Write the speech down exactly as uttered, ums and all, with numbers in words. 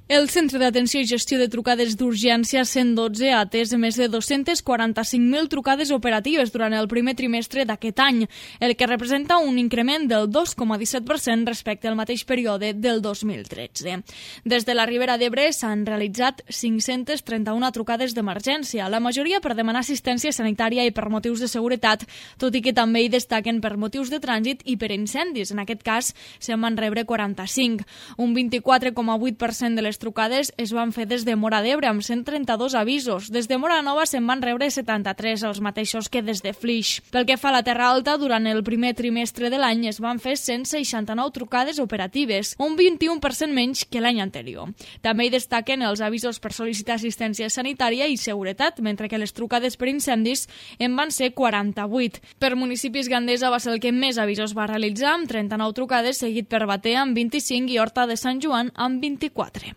El Centre d'Atenció i Gestió de Trucades d'Urgència cent dotze ha atès més de dos-cents quaranta-cinc mil trucades operatives durant el primer trimestre d'aquest any, el que representa un increment del dos coma disset per cent respecte al mateix període del dos mil tretze. Des de la Ribera d'Ebre s'han realitzat cinc-cents trenta-una trucades d'emergència, la majoria per demanar assistència sanitària i per motius de seguretat, tot i que també hi destaquen per motius de trànsit i per incendis. En aquest cas, se'n van rebre quaranta-cinc. Un vint-i-quatre coma vuit per cent de les trucades es van fer des de Móra d'Ebre, amb cent trenta-dos avisos. Des de Móra Nova se'n van rebre setanta-tres, els mateixos que des de Flix. Pel que fa a la Terra Alta, durant el primer trimestre de l'any es van fer cent seixanta-nou trucades operatives, un vint-i-u per cent menys que l'any anterior. També hi destaquen els avisos per sol·licitar assistència sanitària i seguretat, mentre que les trucades per incendis en van ser quaranta-vuit. Per municipis, Gandesa va ser el que més avisos va realitzar, amb trenta-nou trucades, seguit per Batea amb vint-i-cinc i Horta de Sant Joan amb vint-i-quatre.